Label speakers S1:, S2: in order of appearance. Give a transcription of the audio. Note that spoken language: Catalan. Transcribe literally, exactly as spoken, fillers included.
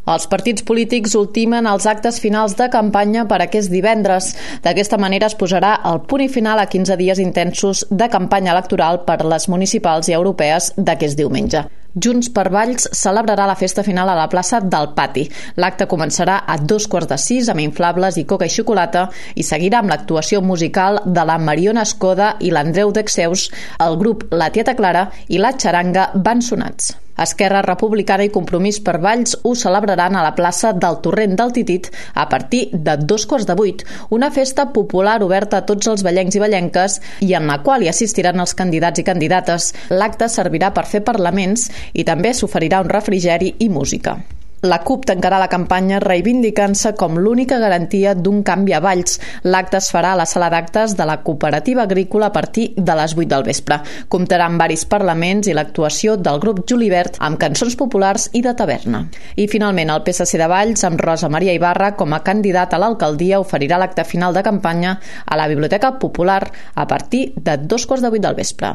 S1: Els partits polítics ultimen els actes finals de campanya per aquest divendres. D'aquesta manera es posarà el punt i final a quinze dies intensos de campanya electoral per les municipals i europees d'aquest diumenge. Junts per Valls celebrarà la festa final a la plaça del Pati. L'acte començarà a dos quarts de sis amb inflables i coca i xocolata i seguirà amb l'actuació musical de la Mariona Escoda i l'Andreu Dexeus, el grup La Tieta Clara i la xaranga Van Sonats. Esquerra Republicana i Compromís per Valls ho celebraran a la plaça del Torrent del Titit a partir de dos quarts de vuit, una festa popular oberta a tots els vallencs i vallenques i en la qual hi assistiran els candidats i candidates. L'acte servirà per fer parlaments i també s'oferirà un refrigeri i música. La CUP tancarà la campanya reivindicant-se com l'única garantia d'un canvi a Valls. L'acte es farà a la sala d'actes de la Cooperativa Agrícola a partir de les vuit del vespre. Comptarà amb varis parlaments i l'actuació del grup Julivert amb cançons populars i de taverna. I finalment el P S C de Valls, amb Rosa Maria Ibarra com a candidat a l'alcaldia, oferirà l'acte final de campanya a la Biblioteca Popular a partir de dos quarts de vuit del vespre.